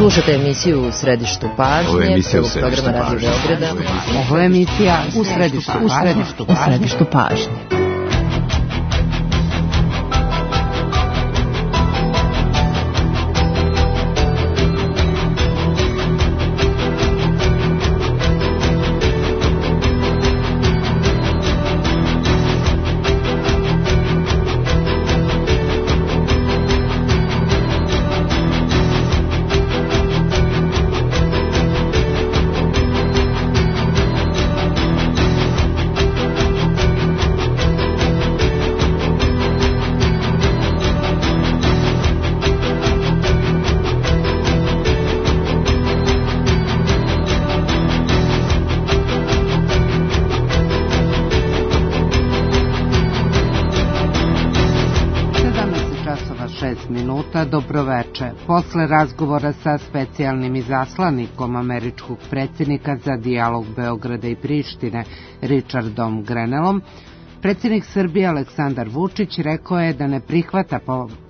Slušate emisiju U središtu pažnje. Ovo je emisija U središtu pažnje. Ovo je emisija U središtu pažnje. Dobroveče. Posle razgovora sa specijalnim izaslanikom američkog predsjednika za dijalog Beograda i Prištine, Richardom Grenellom, predsjednik Srbije Aleksandar Vučić rekao je da ne prihvata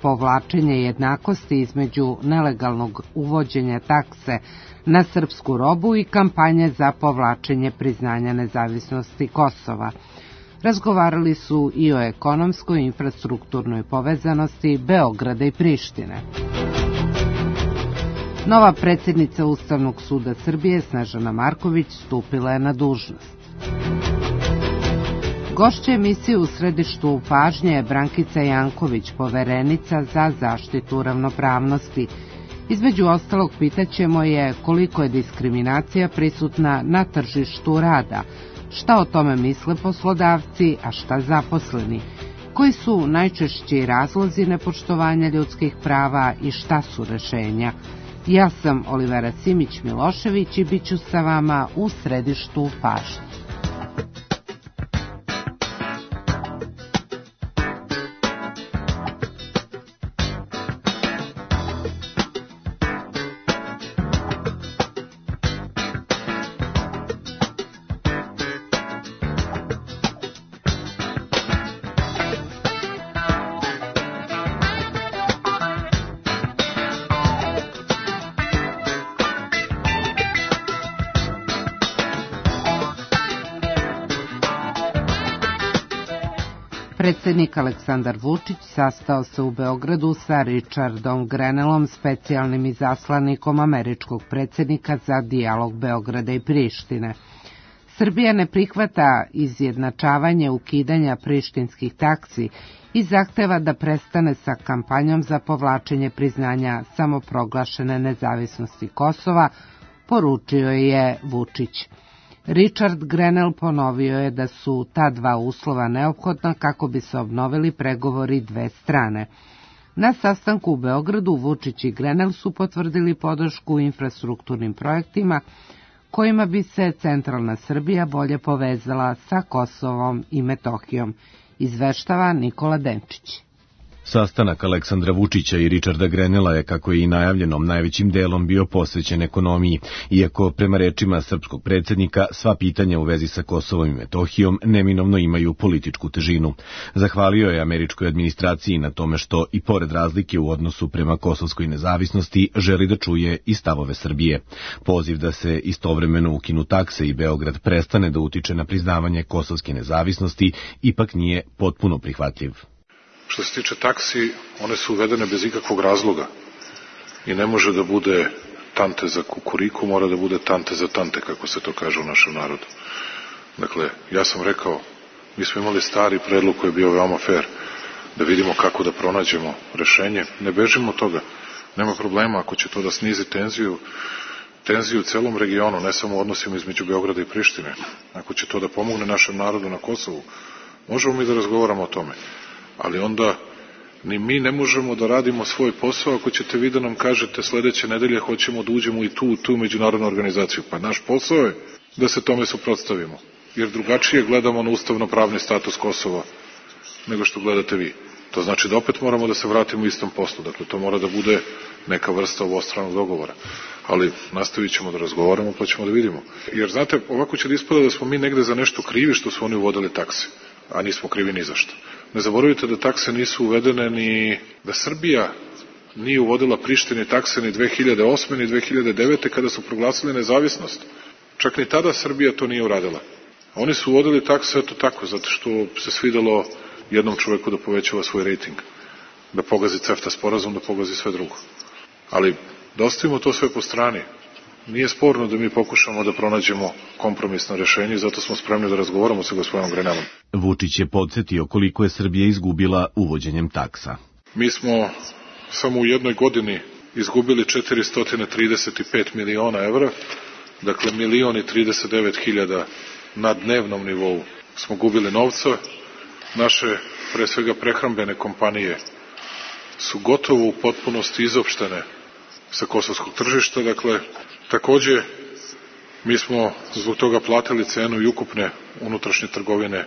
povlačenje jednakosti između nelegalnog uvođenja takse na srpsku robu i kampanje za povlačenje priznanja nezavisnosti Kosova. Razgovarali su i o ekonomskoj i infrastrukturnoj povezanosti Beograda i Prištine. Nova predsjednica Ustavnog suda Srbije, Snežana Marković, stupila je na dužnost. Gošća emisije U središtu pažnje je Brankica Janković, poverenica za zaštitu ravnopravnosti. Između ostalog pitaćemo je koliko je diskriminacija prisutna na tržištu rada, šta o tome misle poslodavci, a šta zaposleni, koji su najčešći razlozi nepoštovanja ljudskih prava i šta su rešenja. Ja sam Olivera Simić-Milošević i bit ću sa vama u središtu pažnje. Predsjednik Aleksandar Vučić sastao se u Beogradu sa Richardom Grenellom, specijalnim izaslanikom američkog predsjednika za dijalog Beograda i Prištine. Srbija ne prihvata izjednačavanje ukidanja prištinskih taksi i zahteva da prestane sa kampanjom za povlačenje priznanja samoproglašene nezavisnosti Kosova, poručio je Vučić. Richard Grenell ponovio je da su ta dva uslova neophodna kako bi se obnovili pregovori dve strane. Na sastanku u Beogradu Vučić i Grenell su potvrdili podršku infrastrukturnim projektima kojima bi se centralna Srbija bolje povezala sa Kosovom i Metohijom, izveštava Nikola Denčić. Sastanak Aleksandra Vučića i Richarda Grenella je, kako je i najavljeno, najvećim delom bio posvećen ekonomiji, iako prema rečima srpskog predsjednika sva pitanja u vezi sa Kosovom i Metohijom neminovno imaju političku težinu. Zahvalio je američkoj administraciji na tome što, i pored razlike u odnosu prema kosovskoj nezavisnosti, želi da čuje i stavove Srbije. Poziv da se istovremeno ukinu takse i Beograd prestane da utiče na priznavanje kosovske nezavisnosti ipak nije potpuno prihvatljiv. Što se tiče taksi, one su uvedene bez ikakvog razloga i ne može da bude tante za kukuriku, mora da bude tante za tante, kako se to kaže u našem narodu. Dakle, ja sam rekao, mi smo imali stari predlog koji je bio veoma fair, da vidimo kako da pronađemo rešenje. Ne bežimo od toga, nema problema ako će to da snizi tenziju u celom regionu, ne samo u odnosima između Beograda i Prištine. Ako će to da pomogne našem narodu na Kosovu, možemo mi da razgovaramo o tome. Ali onda ni mi ne možemo da radimo svoj posao ako ćete vi da nam kažete sledeće nedelje hoćemo da uđemo i tu međunarodnu organizaciju. Pa naš posao je da se tome suprotstavimo, jer drugačije gledamo na ustavno-pravni status Kosova nego što gledate vi. To znači da opet moramo da se vratimo u istom poslu. Dakle, to mora da bude neka vrsta obostranog dogovora. Ali nastavit ćemo da razgovaramo, pa ćemo da vidimo. Jer, znate, ovako će da ispada da smo mi negde za nešto krivi što su oni uvodili takse, a nismo krivi ni za što. Ne zaboravite da takse nisu uvedene ni da Srbija nije uvodila Prištini takse ni 2008. ni 2009. kada su proglasili nezavisnost. Čak ni tada Srbija to nije uradila. Oni su uvodili takse eto tako, zato što se svidelo jednom čoveku da povećava svoj rejting, da pogazi CEFTA sporazum, da pogazi sve drugo. Ali da ostavimo to sve po strani. Nije sporno da mi pokušamo da pronađemo kompromisno rešenje i zato smo spremni da razgovaramo sa gospodinom Grenelom. Vučić je podsjetio koliko je Srbija izgubila uvođenjem taksa. Mi smo samo u jednoj godini izgubili 435 miliona evra, dakle 1.039.000 na dnevnom nivou smo gubili novca. Naše, pre svega prehrambene kompanije, su gotovo u potpunosti izopštene sa kosovskog tržišta, dakle, takođe, mi smo zbog toga platili cenu i ukupne unutrašnje trgovine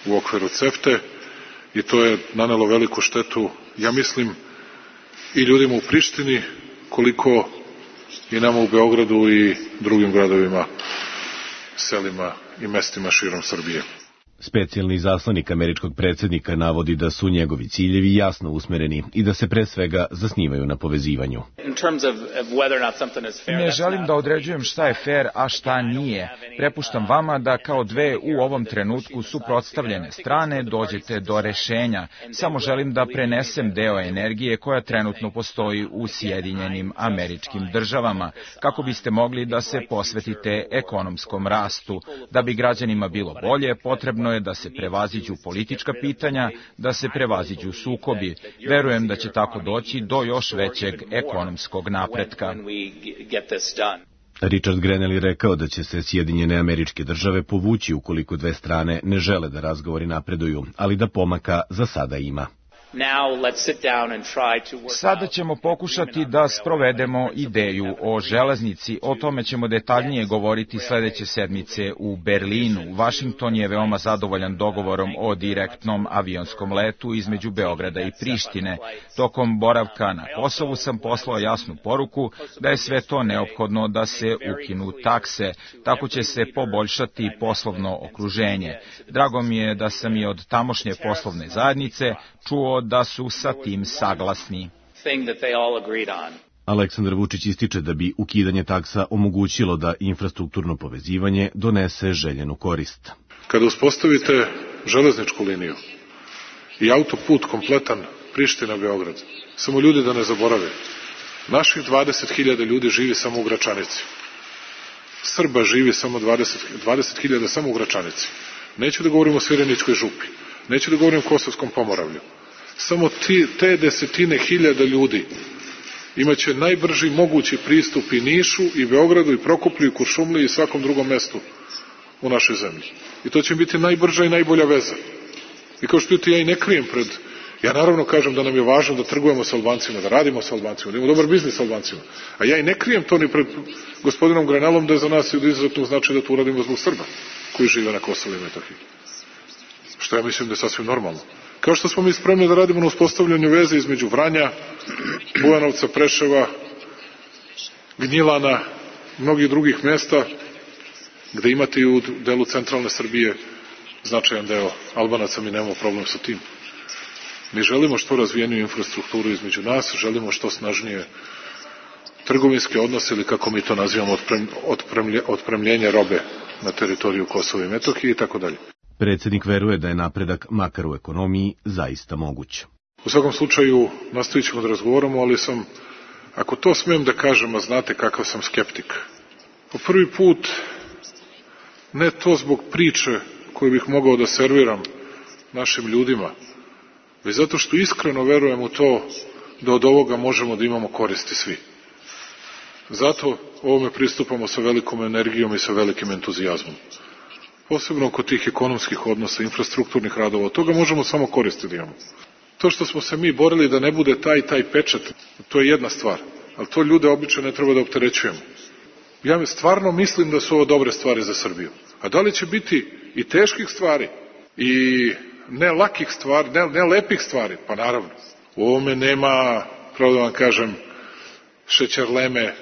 u okviru CEFTE i to je nanelo veliku štetu, ja mislim, i ljudima u Prištini, koliko i nama u Beogradu i drugim gradovima, selima i mestima širom Srbije. Specijalni izaslanik američkog predsjednika navodi da su njegovi ciljevi jasno usmereni i da se pre svega zasnivaju na povezivanju. Ne želim da određujem šta je fair, a šta nije. Prepuštam vama da kao dve u ovom trenutku suprotstavljene strane dođete do rešenja. Samo želim da prenesem deo energije koja trenutno postoji u Sjedinjenim Američkim Državama, kako biste mogli da se posvetite ekonomskom rastu. Da bi građanima bilo bolje, potrebno je da se prevaziđu politička pitanja, da se prevaziđu sukobi. Verujem da će tako doći do još većeg ekonomskog napretka. Richard Grenell je rekao da će se Sjedinjene Američke Države povući ukoliko dve strane ne žele da razgovori napreduju, ali da pomaka za sada ima. Sada ćemo pokušati da sprovedemo ideju o železnici. O tome ćemo detaljnije govoriti sledeće sedmice u Berlinu. Washington je veoma zadovoljan dogovorom o direktnom avionskom letu između Beograda i Prištine. Tokom boravka na Kosovu sam poslao jasnu poruku da je sve to neophodno da se ukinu takse. Tako će se poboljšati poslovno okruženje. Drago mi je da sam i od tamošnje poslovne zajednice čuo da su sa tim saglasni. Aleksandar Vučić ističe da bi ukidanje taksa omogućilo da infrastrukturno povezivanje donese željenu korist. Kada uspostavite železničku liniju i autoput kompletan Priština-Beograd, samo ljudi da ne zaborave, naših 20.000 ljudi živi samo u Gračanici. Srba živi samo 20.000 samo u Gračanici. Neću da govorim o Svireničkoj župi, neću da govorim o Kosovskom pomoravlju. Samo te desetine hiljada ljudi imaće najbrži mogući pristup i Nišu, i Beogradu, i Prokuplju, i Kuršumliji, i svakom drugom mestu u našoj zemlji. I to će biti najbrža i najbolja veza. I kao što ja i ne krijem ja naravno kažem da nam je važno da trgujemo sa Albancima, da radimo sa Albancima, da imamo dobar biznis sa Albancima. A ja i ne krijem to ni pred gospodinom Grenelom da je za nas od izuzetnog značaja da to uradimo zbog Srba koji žive na Kosovu i Metohiji. Što ja mislim da je sasvim normalno. Kao što smo mi spremni da radimo na uspostavljanju veze između Vranja, Bujanovca, Preševa, Gnjilana, mnogih drugih mesta, gde imate i u delu centralne Srbije značajan deo Albanaca, mi nemamo problem sa tim. Mi želimo što razvijeniju infrastrukturu između nas, želimo što snažnije trgovinske odnose, ili kako mi to nazivamo, otpremljenje robe na teritoriju Kosova i Metohije i tako dalje. Predsjednik veruje da je napredak, makar u ekonomiji, zaista moguć. U svakom slučaju nastavit ćemo da razgovaramo, ali ako to smijem da kažem, a znate kakav sam skeptik, po prvi put, ne to zbog priče koju bih mogao da serviram našim ljudima, već zato što iskreno verujem u to da od ovoga možemo da imamo koristi svi. Zato ovome pristupamo sa velikom energijom i sa velikim entuzijazmom. Posebno kod tih ekonomskih odnosa, infrastrukturnih radova, od toga možemo samo koristi da imamo. To što smo se mi borili da ne bude taj pečat, to je jedna stvar, ali to ljude obično ne treba da opterećujemo. Ja stvarno mislim da su ovo dobre stvari za Srbiju. A da li će biti i teških stvari, i ne lakih stvari, ne lepih stvari? Pa naravno. U ovome nema, pravo da vam kažem, šećerleme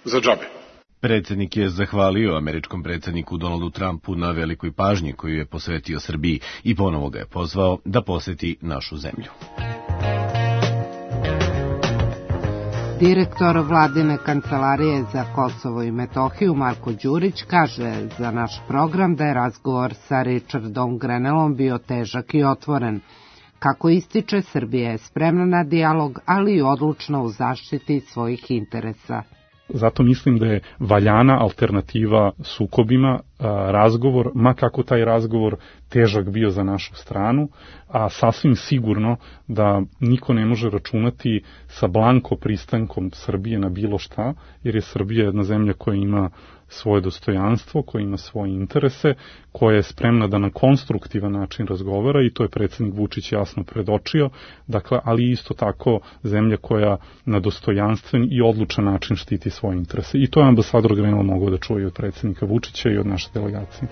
za džabe. Predsjednik je zahvalio američkom predsjedniku Donaldu Trumpu na velikoj pažnji koju je posvetio Srbiji i ponovo ga je pozvao da poseti našu zemlju. Direktor vladine kancelarije za Kosovo i Metohiju Marko Đurić kaže za naš program da je razgovor sa Richardom Grenellom bio težak i otvoren. Kako ističe, Srbija je spremna na dijalog, ali i odlučna u zaštiti svojih interesa. Zato mislim da je valjana alternativa sukobima razgovor, ma kako taj razgovor težak bio za našu stranu, a sasvim sigurno da niko ne može računati sa blanko pristankom Srbije na bilo šta, jer je Srbija jedna zemlja koja ima svoje dostojanstvo, koja ima svoje interese, koja je spremna da na konstruktivan način razgovara i to je predsjednik Vučić jasno predočio, dakle, ali isto tako zemlja koja na dostojanstven i odlučan način štiti svoje interese. I to je ambasador Grenell mogao da čuje od predsjednika Vučića i od naše delegacije.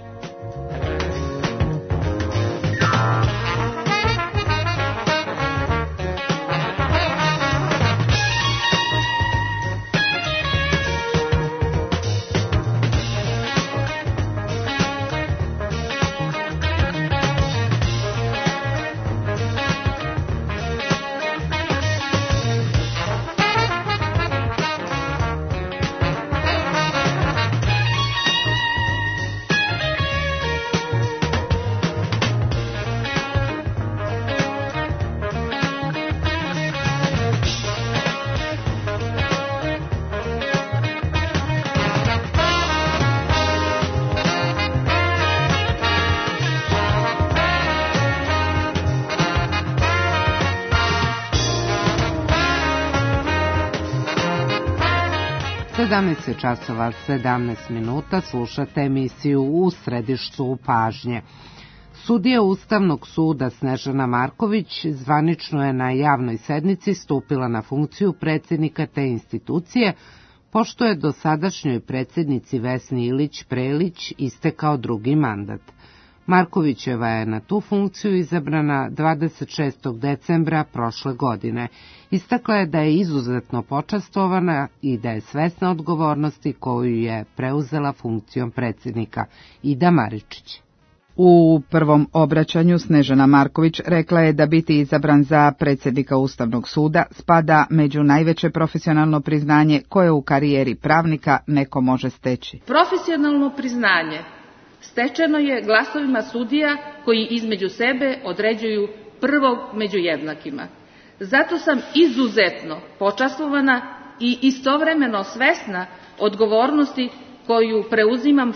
časova 17 minuta slušate emisiju U središtu pažnje. Sudija Ustavnog suda Snežana Marković zvanično je na javnoj sednici stupila na funkciju predsjednika te institucije, pošto je dosadašnjoj predsjednici Vesni Ilić Prelić istekao drugi mandat. Markovićeva je na tu funkciju izabrana 26. decembra prošle godine. Istakla je da je izuzetno počastvovana i da je svesna odgovornosti koju je preuzela funkcijom predsjednika. Ida Maričić. U prvom obraćanju Snežana Marković rekla je da biti izabran za predsjednika Ustavnog suda spada među najveće profesionalno priznanje koje u karijeri pravnika neko može steći. Profesionalno priznanje stečeno je glasovima sudija koji između sebe određuju prvog među jednakima. Zato sam izuzetno počastvovana i istovremeno svesna odgovornosti koju preuzimam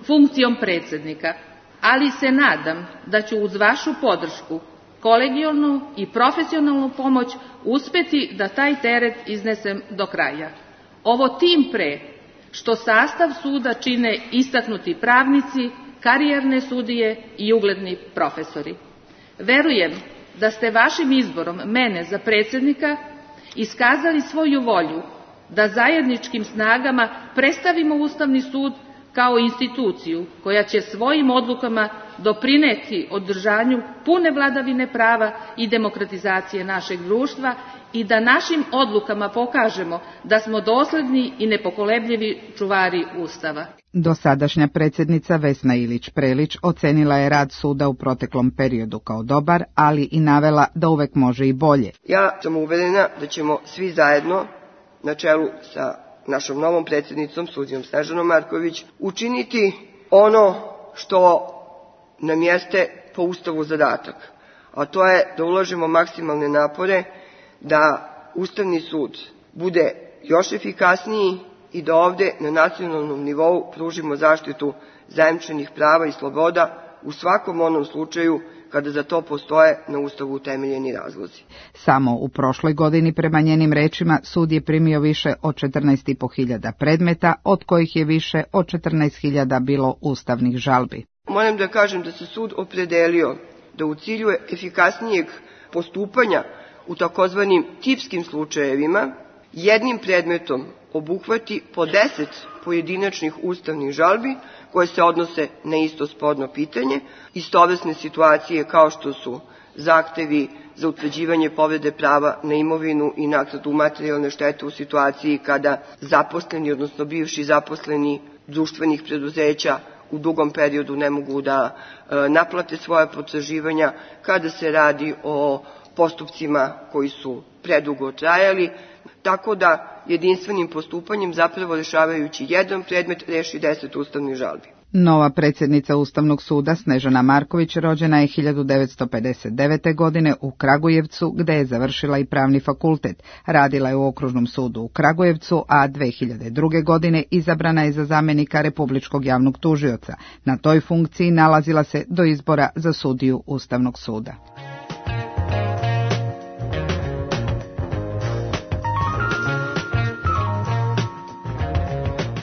funkcijom predsjednika, ali se nadam da ću uz vašu podršku, kolegijalnu i profesionalnu pomoć uspeti da taj teret iznesem do kraja. Ovo tim pre što sastav suda čine istaknuti pravnici, karijerne sudije i ugledni profesori. Verujem da ste vašim izborom mene za predsjednika iskazali svoju volju da zajedničkim snagama predstavimo Ustavni sud kao instituciju koja će svojim odlukama doprineti održanju pune vladavine prava i demokratizacije našeg društva i da našim odlukama pokažemo da smo dosledni i nepokolebljivi čuvari Ustava. Dosadašnja predsjednica Vesna Ilić Prelić ocenila je rad suda u proteklom periodu kao dobar, ali i navela da uvek može i bolje. Ja sam uverena da ćemo svi zajedno, na čelu sa našom novom predsjednicom, sudijom Snežanom Marković, učiniti ono što nam jeste po Ustavu zadatak, a to je da uložimo maksimalne napore da Ustavni sud bude još efikasniji i da ovde na nacionalnom nivou pružimo zaštitu zajamčenih prava i sloboda u svakom onom slučaju kada za to postoje na Ustavu utemeljeni razlozi. Samo u prošloj godini, prema njenim rečima, sud je primio više od 14.500 predmeta, od kojih je više od 14.000 bilo ustavnih žalbi. Moram da kažem da se sud opredelio da u cilju efikasnijeg postupanja u takozvanim tipskim slučajevima jednim predmetom obuhvati po 10 pojedinačnih ustavnih žalbi koje se odnose na isto sporno pitanje, istovrsne situacije kao što su zahtevi za utvrđivanje povrede prava na imovinu i naknadu materijalne štete u situaciji kada zaposleni, odnosno bivši zaposleni društvenih preduzeća u dugom periodu ne mogu da naplate svoje potraživanja, kada se radi o postupcima koji su predugo trajali. tako da jedinstvenim postupanjem, zapravo rešavajući jedan predmet, reši 10 ustavnih žalbi. Nova predsjednica Ustavnog suda Snežana Marković rođena je 1959. godine u Kragujevcu, gde je završila i pravni fakultet. Radila je u Okružnom sudu u Kragujevcu, a 2002. godine izabrana je za zamjenika Republičkog javnog tužioca. Na toj funkciji nalazila se do izbora za sudiju Ustavnog suda.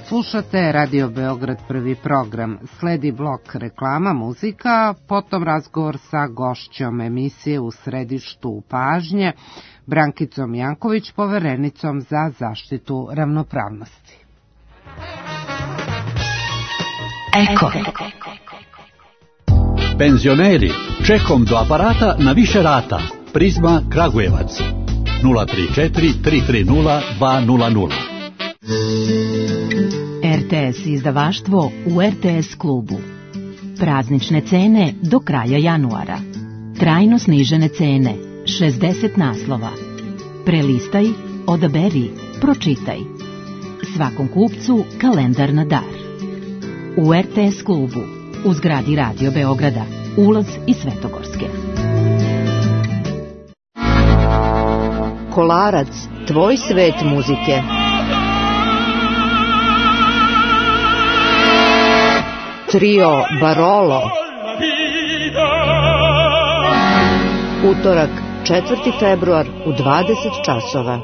Slušate Radio Beograd prvi program. Sledi blok reklama, muzika, potom razgovor sa gošćom emisije U središtu pažnje, Brankicom Janković, poverenicom za zaštitu ravnopravnosti. Eko. Penzioneri, čekom do aparata na više rata. Prizma Kragujevac 034 330 200. RTS izdavaštvo u RTS klubu. Praznične cene do kraja januara. Trajno snižene cene, 60 naslova. Prelistaj, odaberi, pročitaj. Svakom kupcu kalendar na dar. U RTS klubu, u zgradi Radio Beograda, ulaz iz Svetogorske. Kolarac, tvoj svet muzike. Trio Barolo. Utorak, 4. februar u 20 časova.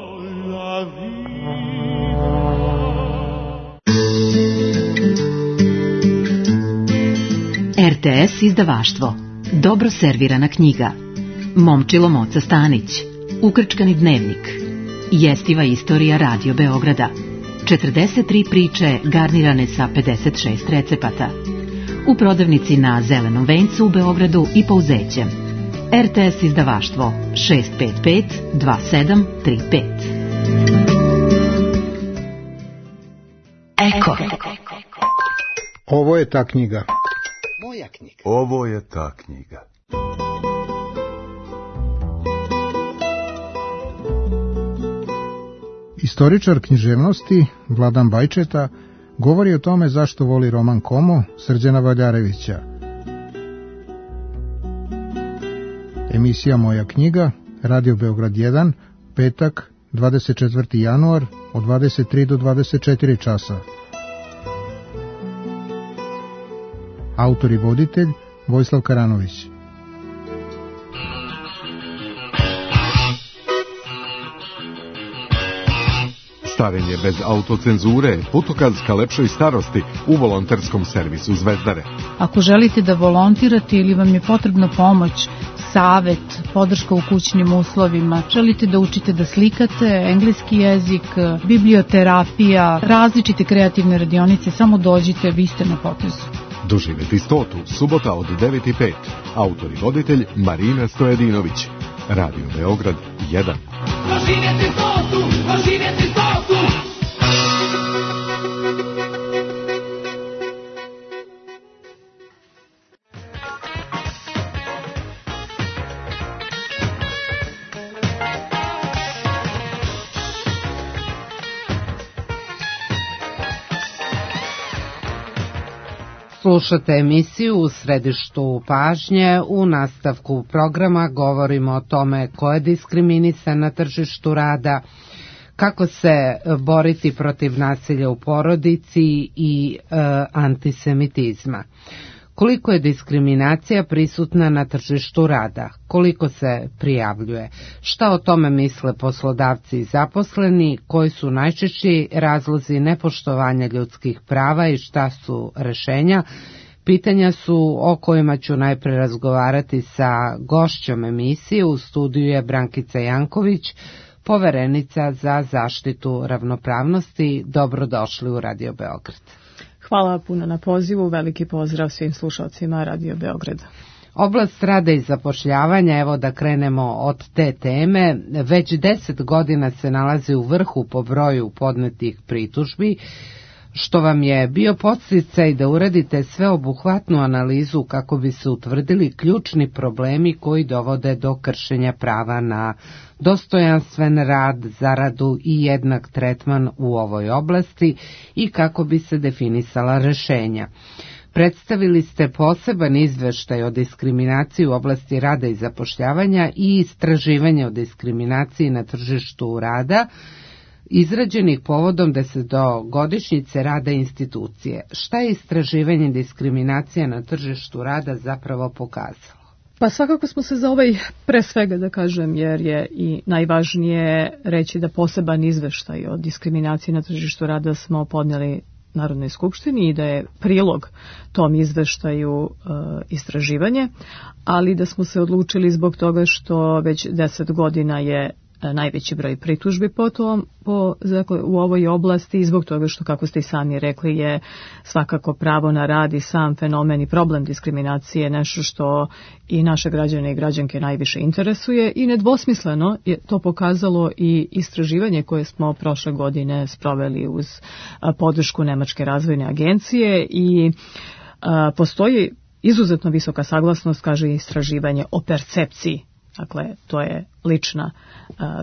RTS izdavaštvo. Dobro servirana knjiga. Momčilo Moca Stanić. Ukrčkani dnevnik. Jestiva istorija Radio Beograda. 43 priče garnirane sa 56 recepata. U prodavnici na Zelenom vencu u Beogradu i Pouzećem. RTS izdavaštvo 655 2735. Eko. Ovo je ta knjiga. Moja knjiga. Ovo je ta knjiga. Istoričar književnosti Vladan Bajčeta govori o tome zašto voli roman Komo Srđana Valjarevića. Emisija Moja knjiga, Radio Beograd 1, petak, 24. januar, od 23 do 24 časa. Autor i voditelj Vojislav Karanović. Starenje bez autocenzure, putokaz ka lepšoj starosti u volonterskom servisu Zvezdare. Ako želite da volontirate ili vam je potrebna pomoć, savet, podrška u kućnim uslovima, želite da učite da slikate, engleski jezik, biblioterapija, različite kreativne radionice, samo dođite, vi ste na potezu. Doživeti 100. subota od 9:05. Autor i voditelj Marina Stojedinović. Radio Beograd 1. Doživjeti 100. Doživjeti 100. Slušate emisiju U središtu pažnje. U nastavku programa govorimo o tome ko je diskriminisan na tržištu rada, kako se boriti protiv nasilja u porodici i antisemitizma. Koliko je diskriminacija prisutna na tržištu rada? Koliko se prijavljuje? Šta o tome misle poslodavci i zaposleni? Koji su najčešći razlozi nepoštovanja ljudskih prava i šta su rešenja? Pitanja su o kojima ću najpre razgovarati sa gošćom emisije. U studiju je Brankica Janković, poverenica za zaštitu ravnopravnosti. Dobrodošli u Radio Beograd. Hvala puno na pozivu, veliki pozdrav svim slušalcima Radio Beograda. Oblast rada i zapošljavanja, evo da krenemo od te teme, već 10 godina se nalazi u vrhu po broju podnetih pritužbi, što vam je bio podsticaj da uradite sveobuhvatnu analizu kako bi se utvrdili ključni problemi koji dovode do kršenja prava na dostojanstven rad, zaradu i jednak tretman u ovoj oblasti i kako bi se definisala rešenja. Predstavili ste poseban izveštaj o diskriminaciji u oblasti rada i zapošljavanja i istraživanje o diskriminaciji na tržištu rada, izrađenih povodom 10-godišnjice rada institucije. Šta je istraživanje diskriminacije na tržištu rada zapravo pokazalo? Pa svakako smo se za ovaj, pre svega da kažem, jer je i najvažnije reći da poseban izveštaj o diskriminaciji na tržištu rada smo podnijeli Narodnoj skupštini i da je prilog tom izveštaju istraživanje, ali da smo se odlučili zbog toga što već 10 godina je najveći broj pritužbi u ovoj oblasti i zbog toga što, kako ste i sami rekli, je svakako pravo na rad i sam fenomen i problem diskriminacije nešto što i naše građane i građanke najviše interesuje i nedvosmisleno je to pokazalo i istraživanje koje smo prošle godine sproveli uz podršku Nemačke razvojne agencije i postoji izuzetno visoka saglasnost, kaže istraživanje, o percepciji. Dakle, to je lična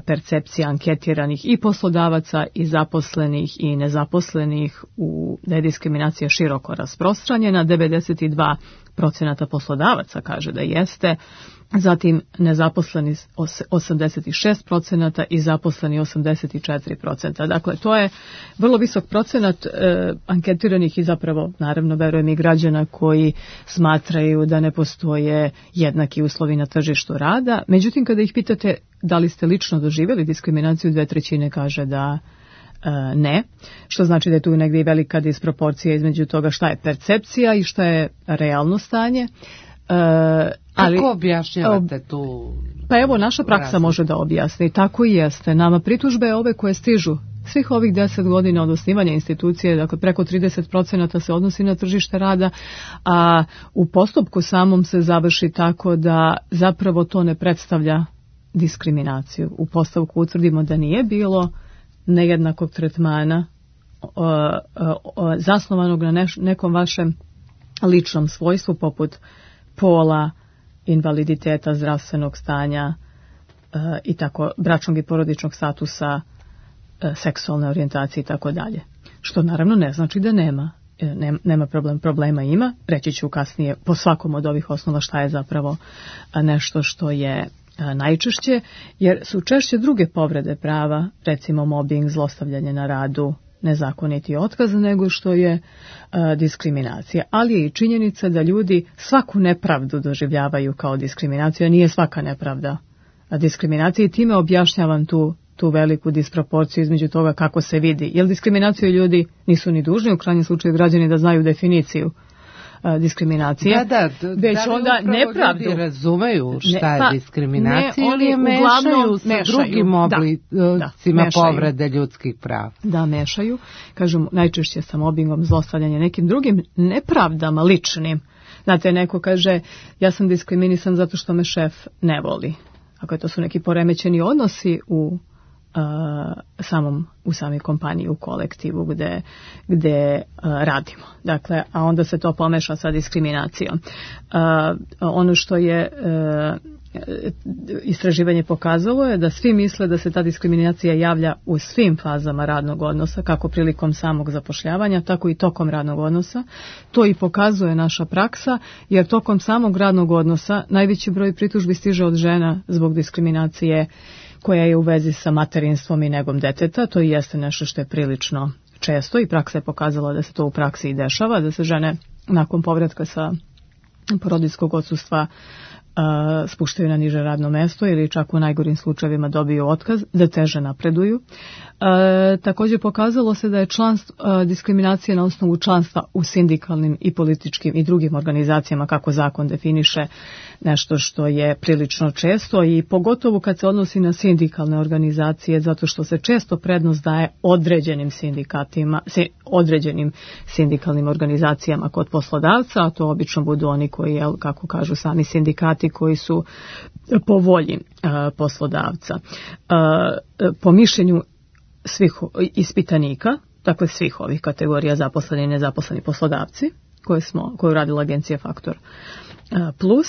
percepcija anketiranih i poslodavaca i zaposlenih i nezaposlenih da je diskriminacija široko rasprostranjena. 92% poslodavaca kaže da jeste, zatim nezaposleni 86% i zaposleni 84%. Dakle, to je vrlo visok procenat anketiranih i zapravo, naravno, verujem i građana koji smatraju da ne postoje jednaki uslovi na tržištu rada. Međutim, kada ih pitate da li ste lično doživjeli diskriminaciju, 2/3 kaže da ne, što znači da je tu negdje i velika disproporcija između toga šta je percepcija i šta je realno stanje. Kako objašnjavate tu? Pa evo, naša praksa može da objasni. Tako i jeste. Nama pritužbe ove koje stižu svih ovih 10 godina od osnivanja institucije, dakle preko 30% se odnosi na tržište rada, a u postupku samom se završi tako da zapravo to ne predstavlja diskriminaciju. U postupku utvrdimo da nije bilo nejednakog tretmana zasnovanog na nekom vašem ličnom svojstvu poput pola, invaliditeta, zdravstvenog stanja i tako, bračnog i porodičnog statusa, seksualne orijentacije i tako dalje. Što naravno ne znači da nema problema ima. Reći ću kasnije po svakom od ovih osnova šta je zapravo nešto što je najčešće, jer su češće druge povrede prava, recimo mobbing, zlostavljanje na radu, nezakoniti otkaz, nego što je diskriminacija. Ali je i činjenica da ljudi svaku nepravdu doživljavaju kao diskriminaciju, a nije svaka nepravda diskriminacija i time objašnjavam tu veliku disproporciju između toga kako se vidi. Jer diskriminaciju ljudi nisu ni dužni, u krajnjem slučaju građani da znaju definiciju diskriminacije, već onda nepravdu. Ljudi razumeju šta je diskriminacija ili je mešaju sa drugim oblicima povrede ljudskih prava? Da, mešaju. Kažem, najčešće sa mobbingom, zlostavljanje, nekim drugim nepravdama ličnim. Znate, neko kaže, ja sam diskriminisan zato što me šef ne voli. Ako to su neki poremećeni odnosi u samoj kompaniji, u kolektivu gde radimo. Dakle, a onda se to pomeša sa diskriminacijom. Ono što je istraživanje pokazalo je da svi misle da se ta diskriminacija javlja u svim fazama radnog odnosa, kako prilikom samog zapošljavanja, tako i tokom radnog odnosa. To i pokazuje naša praksa, jer tokom samog radnog odnosa najveći broj pritužbi stiže od žena zbog diskriminacije koja je u vezi sa materinstvom i negom deteta. To i jeste nešto što je prilično često i praksa je pokazala da se to u praksi i dešava, da se žene nakon povratka sa porodiljskog odsustva spuštaju na niže radno mesto ili čak u najgorim slučajevima dobiju otkaz, da teže napreduju. Također pokazalo se da je diskriminacija na osnovu članstva u sindikalnim i političkim i drugim organizacijama, kako zakon definiše, nešto što je prilično često i pogotovo kad se odnosi na sindikalne organizacije, zato što se često prednost daje određenim sindikatima, određenim sindikalnim organizacijama kod poslodavca, a to obično budu oni koji, kako kažu sami sindikati, koji su po volji poslodavca. Po mišljenju svih ispitanika, dakle svih ovih kategorija zaposleni i nezaposleni poslodavci, koju radila agencija Faktor Plus.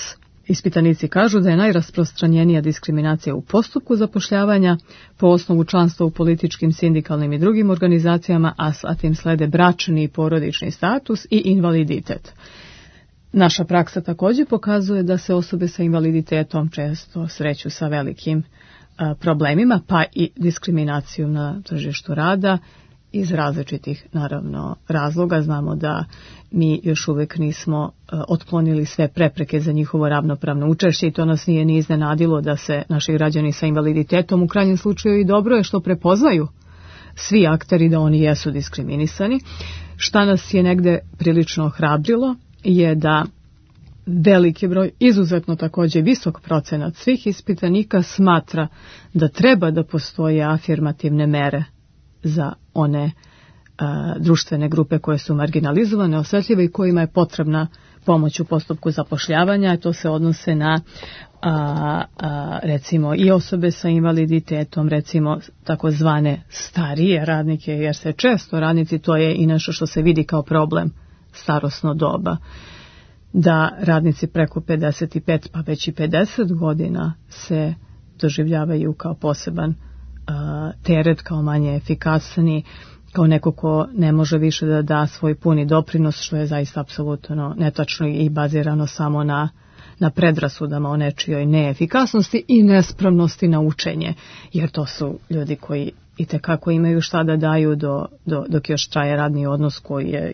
Ispitanici kažu da je najrasprostranjenija diskriminacija u postupku zapošljavanja po osnovu članstva u političkim, sindikalnim i drugim organizacijama, a zatim slede bračni i porodični status i invaliditet. Naša praksa također pokazuje da se osobe sa invaliditetom često sreću sa velikim problemima, pa i diskriminacijom na tržištu rada iz različitih, naravno, razloga. Znamo da mi još uvijek nismo otklonili sve prepreke za njihovo ravnopravno učešće i to nas nije ni iznenadilo da se naši građani sa invaliditetom u krajnjem slučaju i dobro je što prepoznaju svi akteri da oni jesu diskriminisani. Šta nas je negde prilično ohrabrilo je da veliki broj, izuzetno također visok procenat svih ispitanika smatra da treba da postoje afirmativne mere za one društvene grupe koje su marginalizovane, osetljive i kojima je potrebna pomoć u postupku zapošljavanja. To se odnose na recimo i osobe sa invaliditetom, recimo takozvane starije radnike, jer se često radnici, to je i nešto što se vidi kao problem, starosno doba, da radnici preko 55 pa već i 50 godina se doživljavaju kao poseban teret, kao manje efikasni, kao neko ko ne može više da da svoj puni doprinos, što je zaista apsolutno netačno i bazirano samo na predrasudama o nečijoj neefikasnosti i nespremnosti na učenje, jer to su ljudi koji itekako imaju šta da daju dok još traje radni odnos koji je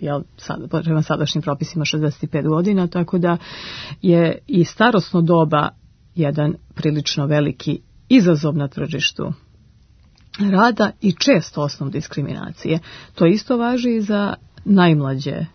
prema sadašnjim propisima 65 godina, tako da je i starosno doba jedan prilično veliki izazov na tržištu rada i često osnov diskriminacije. To isto važi i za najmlađe.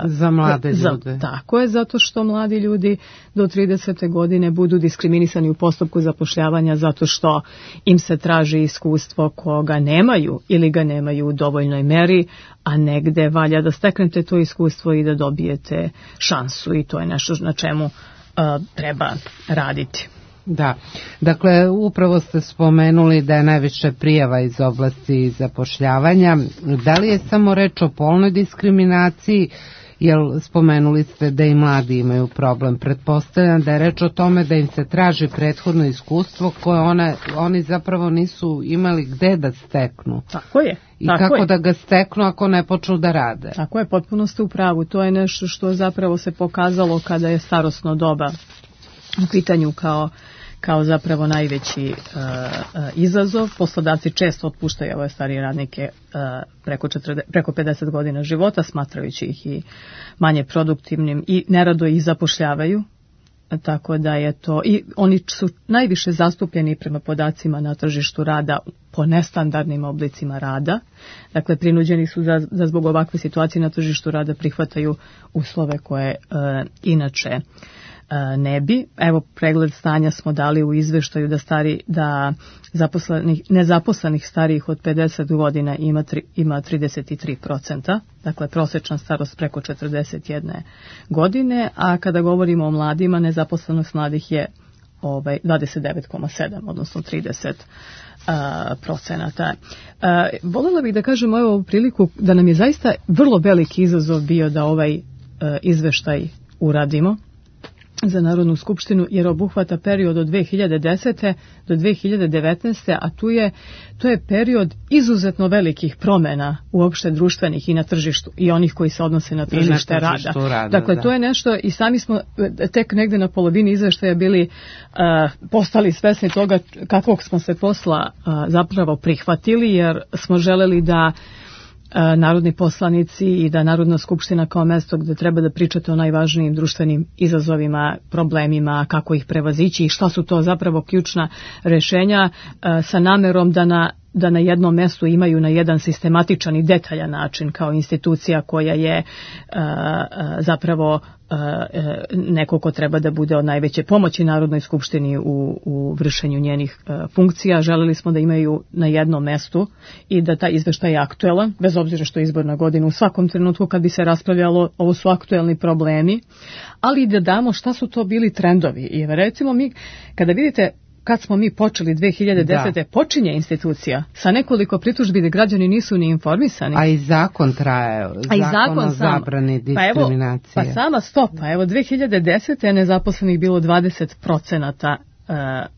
Za mlade ljude. Tako je, zato što mladi ljudi do 30. godine budu diskriminisani u postupku zapošljavanja zato što im se traži iskustvo koga nemaju ili ga nemaju u dovoljnoj meri, a negde valja da steknete to iskustvo i da dobijete šansu i to je nešto na čemu treba raditi. Da, dakle upravo ste spomenuli da je najviše prijava iz oblasti zapošljavanja. Da li je samo reč o polnoj diskriminaciji, jer spomenuli ste da i mladi imaju problem? Pretpostavljam da je reč o tome da im se traži prethodno iskustvo koje oni zapravo nisu imali gde da steknu. Tako je. I kako da ga steknu ako ne počnu da rade. Tako je, potpuno ste u pravu. To je nešto što zapravo se pokazalo kada je starosno doba u pitanju kao zapravo najveći izazov. Poslodavci često otpuštaju ove starije radnike preko 50 godina života, smatrajući ih i manje produktivnim i nerado ih zapošljavaju. Tako da je to, i oni su najviše zastupljeni prema podacima na tržištu rada po nestandardnim oblicima rada. Dakle, prinuđeni su da zbog ovakve situacije na tržištu rada prihvataju uslove koje inače ne bi. Evo, pregled stanja smo dali u izveštaju da nezaposlenih starijih od 50 godina ima 33%, dakle prosječna starost preko 41 godine, a kada govorimo o mladima, nezaposlenost mladih je 29,7, odnosno 30%. Voljela bih da kažem ovu priliku da nam je zaista vrlo veliki izazov bio da ovaj izveštaj uradimo za Narodnu skupštinu, jer obuhvata period od 2010. do 2019. a to je period izuzetno velikih promjena uopšte društvenih i na tržištu i onih koji se odnose na tržište rada. Dakle, to je nešto i sami smo tek negde na polovini izveštaja bili postali svesni toga kakvog smo se posla zapravo prihvatili, jer smo želeli da narodni poslanici i da Narodna skupština kao mesto gde treba da pričate o najvažnijim društvenim izazovima, problemima, kako ih prevazići i šta su to zapravo ključna rešenja, sa namerom da na jednom mestu imaju na jedan sistematičan i detaljan način kao institucija koja je zapravo neko ko treba da bude od najveće pomoći Narodnoj skupštini u vršenju njenih funkcija. Želeli smo da imaju na jednom mestu i da taj izveštaj je aktuelan, bez obzira što je izborna godina. U svakom trenutku kad bi se raspravljalo, ovo su aktuelni problemi, ali da damo šta su to bili trendovi. I recimo mi, kada vidite kad smo mi počeli 2010. počinje institucija sa nekoliko pritužbi da građani nisu ni informisani. A i zakon traje, zakon o zabrani diskriminacije. Pa sama stopa, evo 2010. je nezaposlenih bilo 20%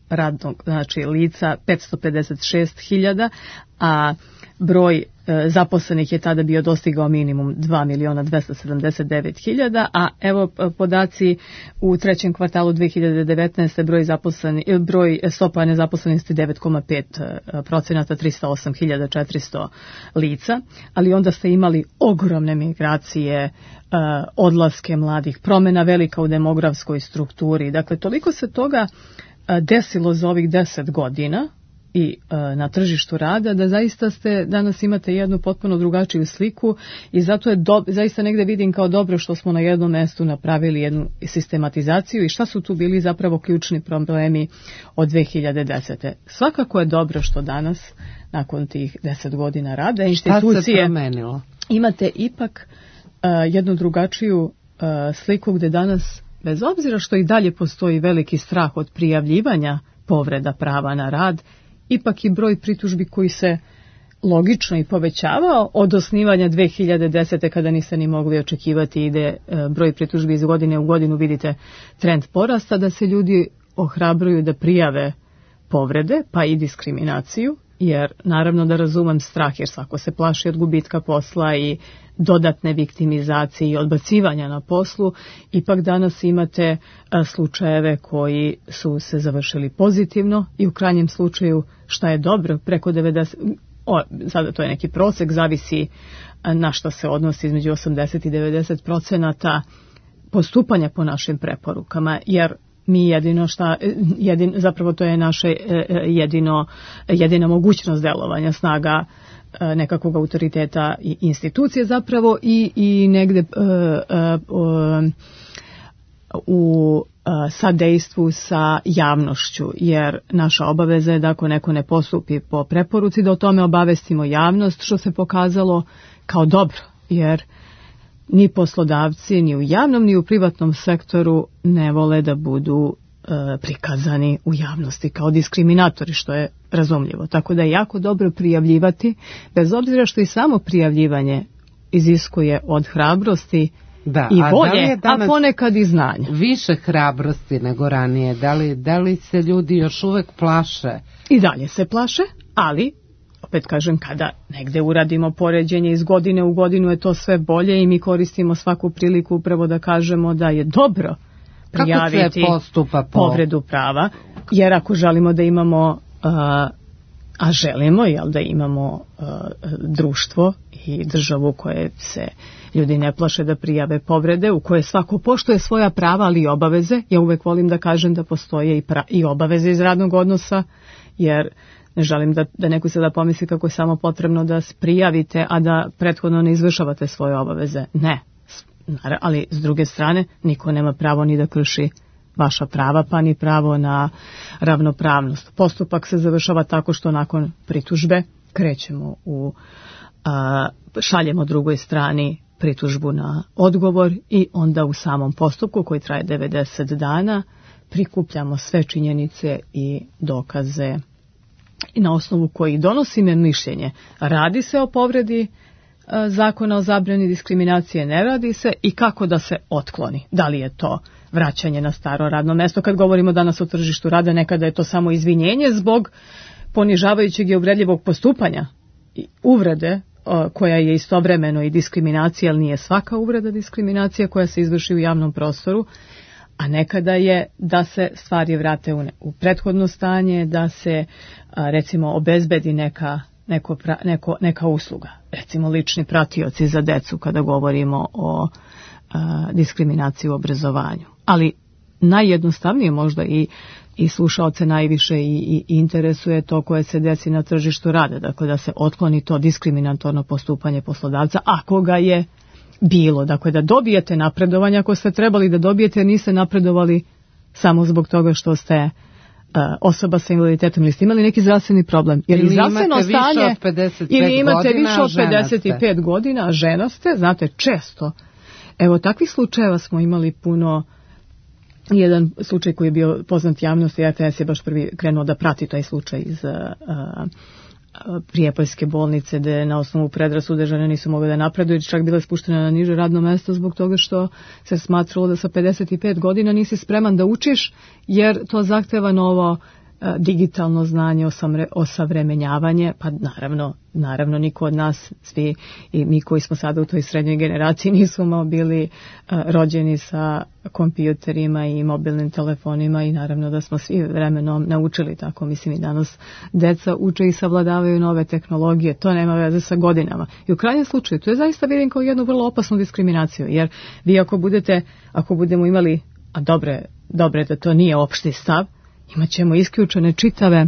radnog, znači lica 556.000, a broj zaposlenih je tada bio dostigao minimum 2.279.000, a evo podaci u trećem kvartalu 2019. broj stopa nezaposlenosti 9,5%, 308.400 lica, ali onda ste imali ogromne migracije, odlaske mladih, promjena velika u demografskoj strukturi. Dakle, toliko se toga desilo za ovih 10 godina i na tržištu rada, da zaista danas imate jednu potpuno drugačiju sliku i zato je zaista negde vidim kao dobro što smo na jednom mestu napravili jednu sistematizaciju i šta su tu bili zapravo ključni problemi od 2010. Svakako je dobro što danas, nakon tih 10 godina rada, institucije imate ipak jednu drugačiju sliku gde danas, bez obzira što i dalje postoji veliki strah od prijavljivanja povreda prava na rad, ipak i broj pritužbi koji se logično i povećavao od osnivanja 2010. kada niste ni mogli očekivati ide broj pritužbi iz godine u godinu, vidite trend porasta, da se ljudi ohrabruju da prijave povrede, pa i diskriminaciju, jer naravno da razumem strah, jer svako se plaši od gubitka posla i dodatne viktimizacije i odbacivanja na poslu. Ipak danas imate slučajeve koji su se završili pozitivno i u krajnjem slučaju, šta je dobro, preko 90%, sada to je neki prosek, zavisi na šta se odnosi, između 80 i 90% postupanja po našim preporukama, jer mi zapravo to je naše jedina mogućnost delovanja, snaga nekakvog autoriteta i institucije zapravo i negde u sadejstvu sa javnošću, jer naša obaveza je da ako neko ne postupi po preporuci, da o tome obavestimo javnost, što se pokazalo kao dobro, jer ni poslodavci, ni u javnom, ni u privatnom sektoru ne vole da budu prikazani u javnosti kao diskriminatori, što je razumljivo. Tako da je jako dobro prijavljivati, bez obzira što i samo prijavljivanje iziskuje od hrabrosti i volje, a ponekad i znanja. Više hrabrosti nego ranije. Da li se ljudi još uvek plaše? I dalje se plaše, ali opet kažem, kada negde uradimo poređenje iz godine u godinu je to sve bolje i mi koristimo svaku priliku upravo da kažemo da je dobro prijaviti povredu prava, jer ako želimo da imamo, a želimo da imamo društvo i državu koje se ljudi ne plaše da prijave povrede, u koje svako poštuje svoja prava, ali i obaveze, ja uvek volim da kažem da postoje i obaveze iz radnog odnosa, jer ne želim da neko sada pomisli kako je samo potrebno da prijavite, a da prethodno ne izvršavate svoje obaveze. Ne, ali s druge strane niko nema pravo ni da krši vaša prava, pa ni pravo na ravnopravnost. Postupak se završava tako što nakon pritužbe krećemo šaljemo drugoj strani pritužbu na odgovor i onda u samom postupku koji traje 90 dana prikupljamo sve činjenice i dokaze i na osnovu kojih donosimo mišljenje. Radi se o povredi zakona o zabrani diskriminacije, ne radi se, i kako da se otkloni. Da li je to vraćanje na staro radno mesto? Kad govorimo danas o tržištu rada, nekada je to samo izvinjenje zbog ponižavajućeg i uvredljivog postupanja i uvrede koja je istovremeno i diskriminacija, ali nije svaka uvreda diskriminacija koja se izvrši u javnom prostoru, a nekada je da se stvari vrate u prethodno stanje, da se recimo obezbedi neka usluga, recimo lični pratioci za decu kada govorimo o diskriminaciji u obrazovanju. Ali najjednostavnije možda i slušaoce najviše i interesuje to koje se desi na tržištu rada, dakle da se otkloni to diskriminatorno postupanje poslodavca ako ga je bilo, dakle da dobijete napredovanje ako ste trebali da dobijete, jer niste napredovali samo zbog toga što ste osoba sa invaliditetom ili ste imali neki zdravstveni problem. Jer ili zdravstveno stanje, ili imate više od 55 godina, a žena ste, znate, često. Evo, takvih slučajeva smo imali puno jedan slučaj koji je bio poznat javnosti, RTS je baš prvi krenuo da prati taj slučaj iz Prijepoljske bolnice, gde na osnovu predrasude žene nisu mogle da napreduju, čak bila spuštena na niže radno mesto zbog toga što se smatralo da sa 55 godina nisi spreman da učiš, jer to zahteva novo digitalno znanje, osavremenjavanje, pa naravno niko od nas, svi i mi koji smo sada u toj srednjoj generaciji nismo bili rođeni sa kompjuterima i mobilnim telefonima i naravno da smo svi vremenom naučili tako. Mislim i danas deca uče i savladavaju nove tehnologije, to nema veze sa godinama. I u krajnjem slučaju, to je zaista vidim kao jednu vrlo opasnu diskriminaciju, jer vi ako budemo imali, a dobre da to nije opšti stav, imat ćemo isključene čitave